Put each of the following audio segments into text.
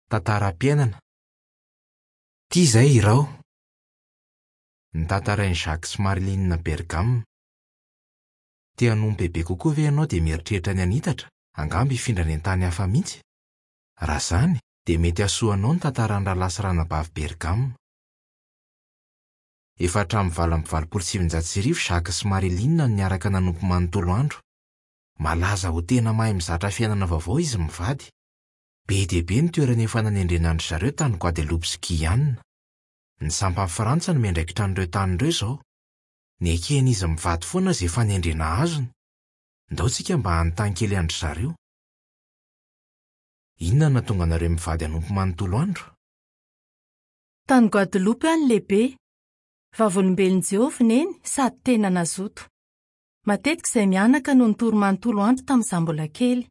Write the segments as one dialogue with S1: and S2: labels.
S1: Tantaram-piainana. Tia izay iraho. Notantarain'i Jacques sy Marie-Line Bergam. Te hanompo bebe kokoa ve ianao dia mieritreritra ny hanitatra, angamba hifindra any an-tany hafa mihitsy? Raha izany, dia mety hahasoa anao ny tantaran'ny Rahalahy sy Ranabavy Bergam. Efa hatramin'ny 1988 Jacques sy Marie-Line no niaraka nanompo manontolo andro. Malaza ho tena mahay mizatra fiainana vaovao izy mivady. Be dia be ny toerana efa nanendrena an-dry zareo tany Guadeloupe sy Guyane. Ny sampan'i Frantsa no miandraikitra an'ireo tany ireo izao. Neken'izy mivady foana izay fanendrena azony. Ndao tsika mba hanontany kely an-dry zareo. Inona no nahatonga anareo mivady hanompo manontolo andro?
S2: Tany Guadeloupe aho no lehibe. Vavolombelon'i Jehovah Neny sady tena nazoto. Matetika izahay mianaka no nitory manontolo andro tamin'izaho mbola kely.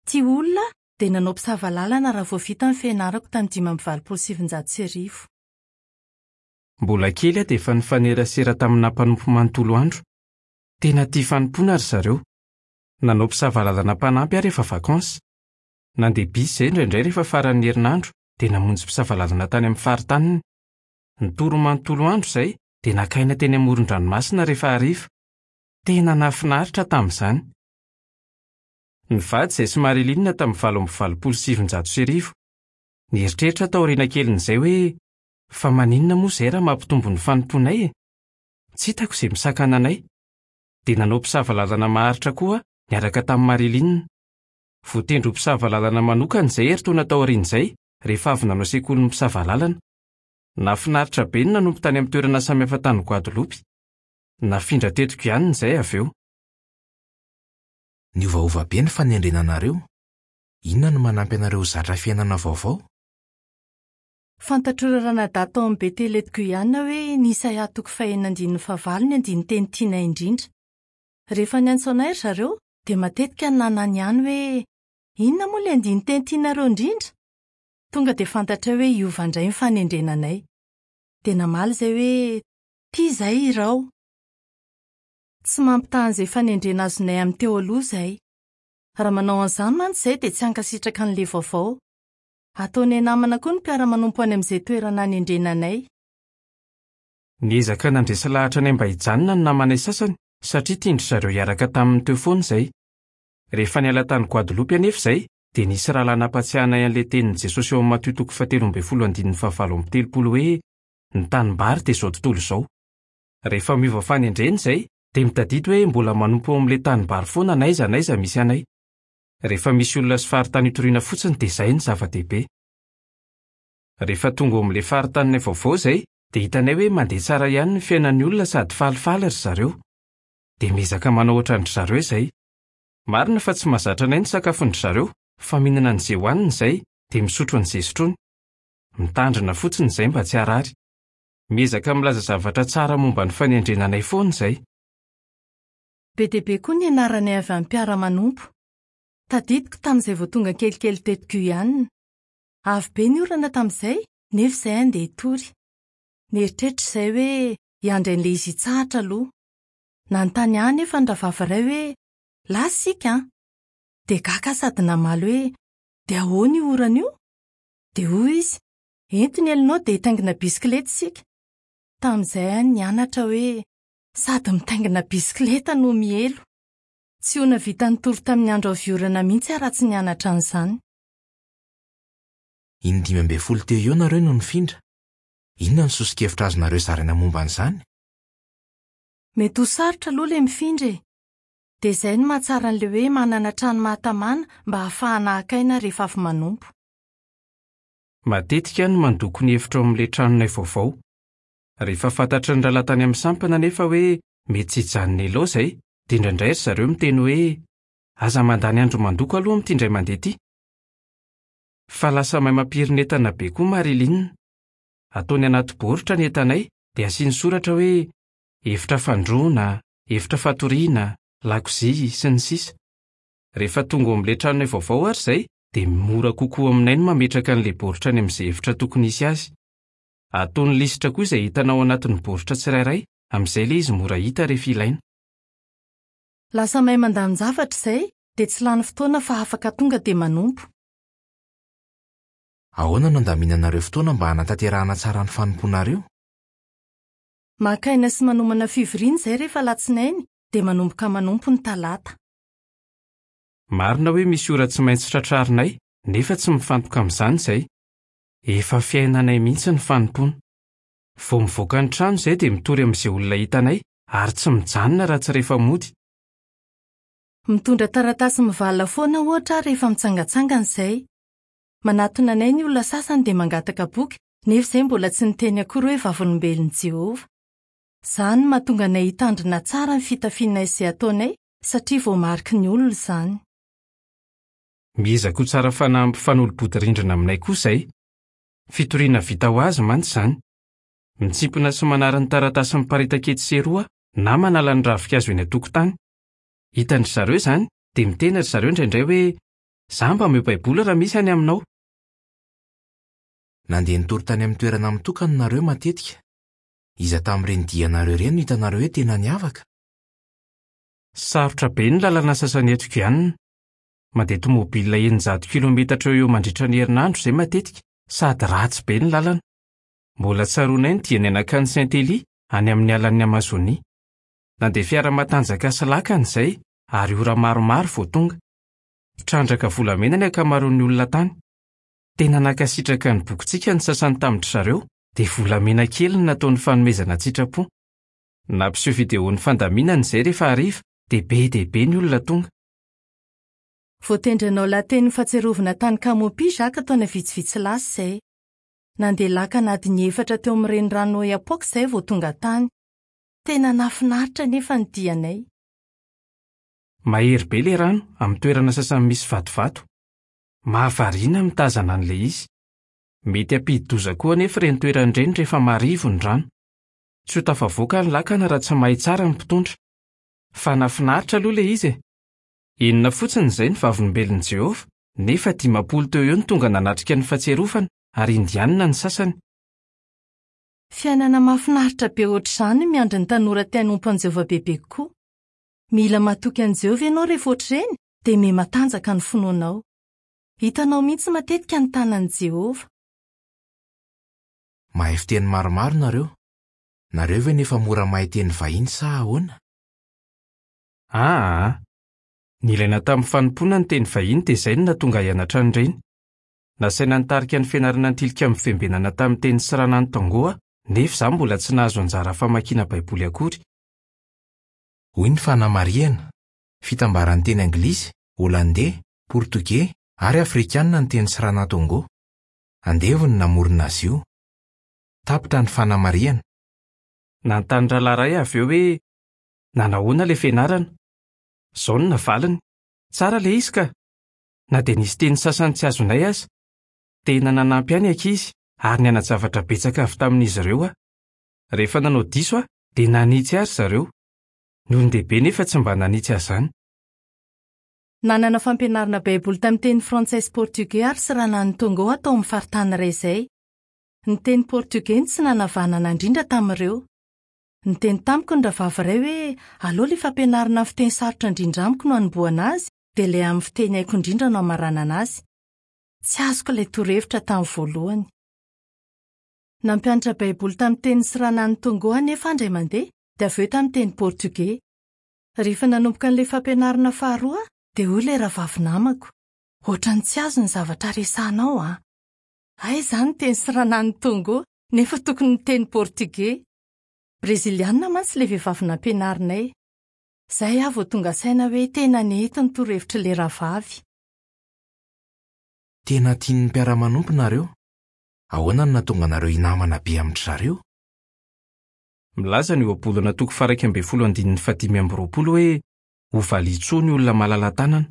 S2: Tia olona aho dia nanao mpisava lalana raha vao vita ny fianarako tamin'ny 1985.
S3: Mbola kely aho dia efa nifanerasera tamina mpanompo manontolo andro. Tena tia fanompoana ry zareo. Nanao mpisava lalana mpanampy aho rehefa vakansy. Nandeha bisy izahay indraindray rehefa faran'ny herinandro dia namonjy mpisava lalana tany amin'ny faritaniny. Nitory manontolo andro izahay dia naka aina teny amoron-dranomasina rehefa hariva. Tena nahafinaritra tamin'izany. Nivady izahay sy Marie-Line tamin'ny 1988. Nieritreritra aho taoriana kelin'izay hoe, 'Fa maninona moa izahay raha mampitombo ny fanompoanay e? Tsy hitako izay misakana anay. Dia nanao mpisava lalana maharitra koa aho niaraka tamin'i Marie-Line. Voatendry ho mpisava lalana manokana izahay herintaona taorian'izay, rehefa avy nanao sekolin'ny mpisava lalana. Nahafinaritra be ny nanompo tany amin'ny toerana samihafa tany Guadeloupe. Nafindra teto Guyane izahay avy eo.
S1: Niovaova be ny fanendrena anareo. Inona no manampy anareo ho zatra fiainana vaovao?
S2: Fantatr'ireo ranadahy tao amin'ny Betela eto Guyane hoe ny Isaia toko fahenina andininy fahavalo ny andinin-teny tianay indrindra. Rehefa niantso anay ry zareo, dia matetika no nananihany hoe, Inona moa ilay andinin-teny tianareo indrindra? Tonga dia fantatray hoe hiova indray ny fanendrena anay. Dia namaly izahay hoe, Tia izahay hirao. Tsy mampitaha an'izay fanendrena azonay amin'ny teo aloha izahay. Raha manao an'izany mantsy izahay dia tsy hankasitraka an'ilay vaovao. Ataonay namana koa ny mpiara-manompo any amin'izay toerana anendrena anay.
S3: Niezaka nandresy lahatra anay mba hijanona ny namanay sasany satria tian-dry zareo hiaraka taminy teo foana izahay. Rehefa niala tany Guadeloupe anefa izahay dia nisy rahalahy nampatsiahy anay an'ilay tenin'i Jesosy ao amin'ny Matio toko fahatelo ambin'ny folo andininy fahavalo amby telopolo hoe ny tanimbary dia izao tontolo izao. Rehefa miova fanendrena izay, dia mitadidy hoe mbola manompo ao amin'ilay tanimbary foana n'aiza n'aiza misy anay. Rehefa misy olona sy faritany itoriana fotsiny dia izay no zava-dehibe. Rehefa tonga ao amin'ilay faritaninay vaovao izay, dia hitanay hoe mandeha tsara ihany ny fiainan'ny olona sady falifaly ry zareo. Dia miezaka manao hoatran-dry zareo izay. Marina fa tsy mahazatra anay ny sakafon-dry zareo, fa mihinana an'izay hohaniny izay, dia misotro an'izay sotroiny. Mitandrina fotsiny izay mba tsy harary. Miezaka milaza zavatra tsara momba ny fanendrena anay foana izay.
S2: Be dia be koa ny nianaranay avy amin'ny mpiara-manompo. Tadidiko tamin'izay vao tonga kelikely teto Guyane. Avy be ny orana tamin'izay, nefa izahay handeha hitory. Nieritreritra izahay hoe hiandry an'ilay izy hitsahatra aloha. Nanontany ahy anefa ny rahavavy iray hoe, Lasa isika an! Dia gaga aho sady namaly hoe, Dia ahoana io orana io? Dia hoy izy, Ento ny elonao dia hitaingina bisikileta isika. Tamin'izay aho nianatra hoe sady mitaingina bisikileta no mielo. Tsy ho nahavita nitory tamin'ny andro avy orana mihitsy aho raha tsy nianatra an'izany.
S1: Indimy ambin'ny folo teo eo nareo no nifindra. Inona no soso-kevitra azonareo zaraina momba an'izany?
S2: Mety ho sarotra aloha ilay mifindra e! Dia izay no mahatsara an'ilay hoe manana trano mahatamana mba hahafahana haka aina rehefa avy manompo.
S3: Matetika aho no mandoko ny efitra ao amin'ilay tranonay vaovao. Rehefa fantatry ny rahalahy tany amin'ny sampana anefa hoe mety tsy hijanona ela ao izahay, dia indraindray ry zareo miteny hoe, Aza mandany andro mandoko aloha amin'ity indray mandeha ity. Fa lasa mahay mampirin'entana be koa Marie-Line. Ataony anaty baoritra ny entanay, dia asiany soratra hoe efitra fandroana, efitra fatoriana, lakozia, sy ny sisa. Rehefa tonga ao amin'ilay tranonay vaovao àry izahay, dia mora kokoa aminay ny mametraka an'ilay baoritra any amin'izay efitra tokony hisy azy. Ataony lisitra koa izay entana ao anatin'ny baoritra tsirairay, amin'izay ilay izy mora hita rehefa ilaina.
S2: Lasa mahay mandamin-javatra izay, dia tsy lany fotoana fa afaka tonga dia manompo.
S1: Ahoana no andaminanareo fotoana mba hanatanterahana tsara ny fanompoanareo?
S2: Maka aina sy manomana fivoriana izahay rehefa alatsinainy, dia manomboka manompo ny talata.
S3: Marina hoe misy ora tsy maintsy tratrarinay, nefa tsy mifantoka amin'izany izahay. Efa fiainanay mihitsy ny fanompoana. Vao mivoaka ny trano izahay dia mitory amin'izay olona hitanay, ary tsy mijanona raha tsy rehefa mody.
S2: Mitondra taratasy mivalona foana ohatra aho rehefa mitsangantsangana izahay. Manatona anay ny olona sasany dia mangataka boky, nefa izahay mbola tsy niteny akory hoe Vavolombelon'i Jehovah. Izany no mahatonga anay hitandrina tsara ny fitafianay sy izay ataonay, satria voamariky ny olona izany.
S3: Miezaka ho tsara fanahy mpifanolo-bodirindrina aminay koa izahay. Fitoriana vita ho azy mantsy izany. Mitsimpona sy manary ny taratasy miparitaka etsy sy eroa na manala ny ravinkazo eny an-tokotany. Hitan-dry zareo izany, dia miteny ry zareo indraindray hoe, Za mba omeo Baiboly raha misy any aminao.
S1: Nandeha nitory tany amin'ny toerana mitokana nareo matetika. Iza tamin'ireny dianareo ireny no hitanareo hoe tena niavaka?
S3: Sarotra be ny lalana sasany eto Guyane. Mandeha tomobilina 600 kilometatra eo ho eo mandritra ny herinandro izay matetika, sady ratsy be ny lalana. Mbola tsaroanay ny dianay nankany Saint-Élie, any amin'ny alan'i Amazonia. Nandeha fiara matanjaka sy lakana izay, ary ora maromaro vao tonga. Mpitrandraka volamena ny ankamaroan'ny olona tany. Tena nankasitraka ny bokintsika ny sasany tamin-dry zareo, dia volamena kely no nataony fanomezana an-tsitrapo. Nampiseho videon'ny fandaminana izay rehefa hariva, dia be dia be ny olona tonga.
S2: Voatendry hanao lahatenin'ny Fahatsiarovana tany Camopi Jacques taona vitsivitsy lasa izay. Nandeha lakana adiny efatra teo amin'ny renirano Oyapock izahay vao tonga tany. Tena nahafinaritra anefa ny dianay.
S3: Mahery be ilay rano amin'ny toerana sasany misy vatovato. Mahavariana ny mitazana an'ilay izy. Mety hampidi-doza koa anefa ireny toerana ireny rehefa marivo ny rano. Tsy ho tafavoaka ny lakana raha tsy mahay tsara ny mpitondra. Fa nahafinaritra aloha ilay izy e! Enina fotsiny izay ny Vavolombelon'i Jehovah, nefa 50 teo eo no tonga nanatrika ny Fahatsiarovana, ary Indianina ny sasany.
S2: Fiainana mahafinaritra be hoatr'izany ny miandry ny tanora te hanompo an'i Jehovah bebe kokoa. Mila matoky an'i Jehovah ianao rehefa hoatr'ireny, dia mihamatanjaka ny finoanao. Hitanao mihitsy matetika ny tanan'i Jehovah.
S1: Mahay fiteny maromaro nareo. Nareo ve nefa mora mahay teny vahiny sa ahoana?
S3: Aa! Nilaina tamin'ny fanompoana ny teny vahiny dia izay no nahatonga ahy hianatra an'ireny. Nasaina nitarika ny fianarana ny Tilikambo Fiambenana tamin'ny teny Sranan Tongo aho, nefa izaho mbola tsy nahazo anjara famakiana Baiboly akory.
S1: Hoy ny fanamarihana, Fitambaran'ny teny anglisy, holandey, portogey ary afrikanina ny teny Sranan Tongo. Andevo no namorona azy io. Tapitra ny fanamarihana.
S3: Nanontany rahalahy iray avy eo hoe nanahoana ilay fianarana. Izao no navaliny, Tsara ilay izy ka! Na dia nisy teny sasany tsy azonay aza. Tena nanampy ahy ny ankizy, ary niana-javatra betsaka avy tamin'izy ireo aho. Rehefa nanao diso aho, dia nanitsy ahy ry zareo. Ny olon-dehibe nefa tsy mba nanitsy ahy izany.
S2: Nanana fampianarana Baiboly tamin'ny teny frantsay sy portugais ary Sranan'i Tongo aho tao amin'ny faritany iray izay. Ny teny portugais no tsy nanavanana indrindra tamin'ireo. Niteny tamiko ny rahavavy iray hoe aleo ilay fampianarana amin'ny fiteny sarotra indrindra amiko no hanombohana azy dia ilay amin'ny fiteny haiko indrindra no hamaranana azy. Tsy azoko ilay torohevitra tamin'ny voalohany. Nampianatra Baiboly tamin'ny teny Sranan'i Tongo anefa aho indray mandeha dia avy eo tamin'ny teny portugais. Rehefa nanomboka an'ilay fampianarana faharoa aho dia hoy ilay rahavavy namako, Hoatran'ny tsy azo ny zavatra resahanao an! Hay izaho niteny Sranan'i Tongo nefa tokony niteny portugais. Brezilianina mantsy ilay vehivavy nampianarinay. Izay aho vao tonga saina hoe tena nety ny torohevitr'ilay rahavavy.
S1: Tena tian'ny mpiara-manompo nareo. Ahoana no nahatonga anareo hinamana be amin-dry zareo?
S3: Milaza ny Ohabolana toko faha-11 andininy faha-25 hoe hovalian-tsoa ny olona malala-tanana.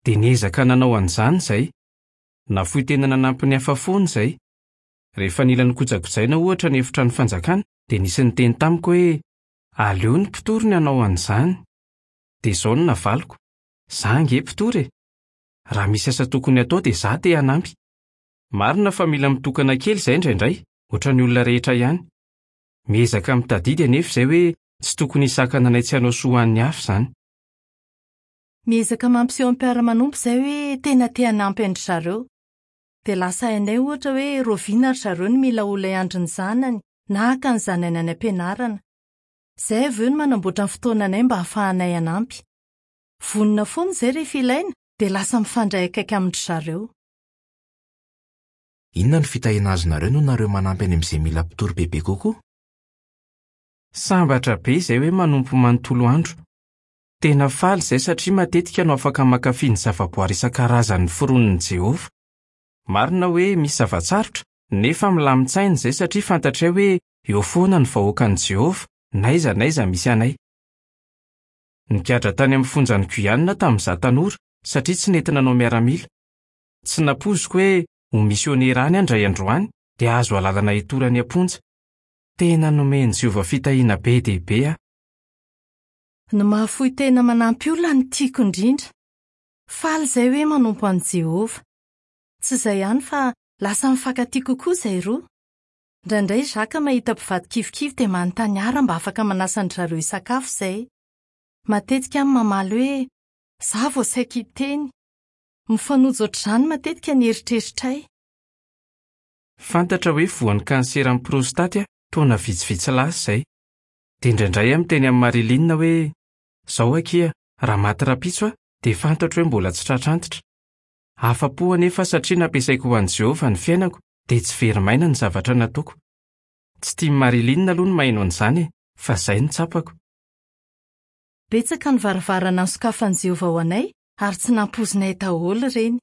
S3: Dia niezaka nanao an'izany izahay. Nafoy tena nanampy ny hafa foana izahay. Rehefa nila nokojakojaina, ohatra, ny Efitrano Fanjakana, dia nisy niteny tamiko hoe, 'Aleo ny mpitory ny hanao an'izany. Dia izao no navaliko, 'Za ange mpitory e! Raha misy asa tokony hatao dia za te hanampy. Marina fa mila mitokana kely izahay indraindray, hoatran'ny olona rehetra ihany. Miezaka mitadidy anefa izahay hoe tsy tokony hisakana anay tsy hanao soa ho an'ny hafa izany.
S2: Miezaka mampiseho amin'ny mpiara-manompo izahay hoe tena te hanampy an-dry zareo. Dia lasa hainay ohatra hoe rahoviana ry zareo no mila olona hiandry ny zanany na haka ny zanany any am-pianarana. Izay avy eo no manamboatra ny fotoananay mba hahafahanay hanampy. Vonona foana izay rehefa ilaina dia lasa mifandray akaiky amin-dry zareo.
S1: Inona no fitahiana azonareo noho nareo manampy any amin'izay mila mpitory bebe kokoa?
S3: Sambatra be izay hoe manompo manontolo andro. Tena faly izay satria matetika no afaka mankafy ny zavaboary isan-karazany noforonin'i Jehovah. Marina hoe misy zava-tsarotra, nefa milamin-tsaina izay satria fantatray hoe eo foana ny vahoakan'i Jehovah, n'aiza n'aiza misy anay. Nigadra tany amin'ny fonjan'i Guyane tamin'izaho tanora, satria tsy nety nanao miaramila. Tsy nampoiziko hoe ho misionera any aho indray andro any, dia hahazo alalana hitory any am-ponja. Tena nomen'i Jehovah fitahiana be dia be aho.
S2: Ny mahafoy tena manampy olona no tiako indrindra. Faly izahay hoe manompo an'i Jehovah. Tsy izay ihany fa lasa mifankatia kokoa izahay roa. Indraindray i Jacques mahita mpivady kivikivy dia manontany ahy raha mba afaka manasa an-dry zareo hisakafo izahay. Matetika aho no mamaly hoe, Izaho vao saika hiteny. Mifanojo hoatr'izany matetika ny eritreritray.
S3: Fantatra hoe voan'ny kanseran'ny prostaty aho taona vitsivitsy lasa izay. Dia indraindray aho miteny amin'i Marie-Line hoe, Izao akia, raha maty rahampitso aho, dia fantatro hoe mbola tsy tratra antitra. Afa-po anefa aho satria nampiasaiko ho an'i Jehovah ny fiainako, dia tsy very maina ny zavatra nataoko. Tsy tian'i Marie-Line aloha ny maheno an'izany e, fa izay no tsapako.
S2: Betsaka ny varavarana nosokafan'i Jehovah ho anay, ary tsy nampoizinay daholo ireny.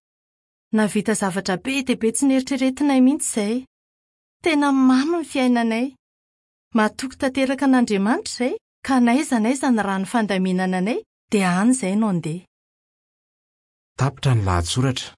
S2: Nahavita zavatra be dia be tsy neritreretinay mihitsy izahay. Tena mamy ny fiainanay. Matoky tanteraka an'Andriamanitra izay ka n'aiza n'aiza ny rano fandaminana anay dia any izay no andeha.
S1: Tapitra ny lahatsoratra.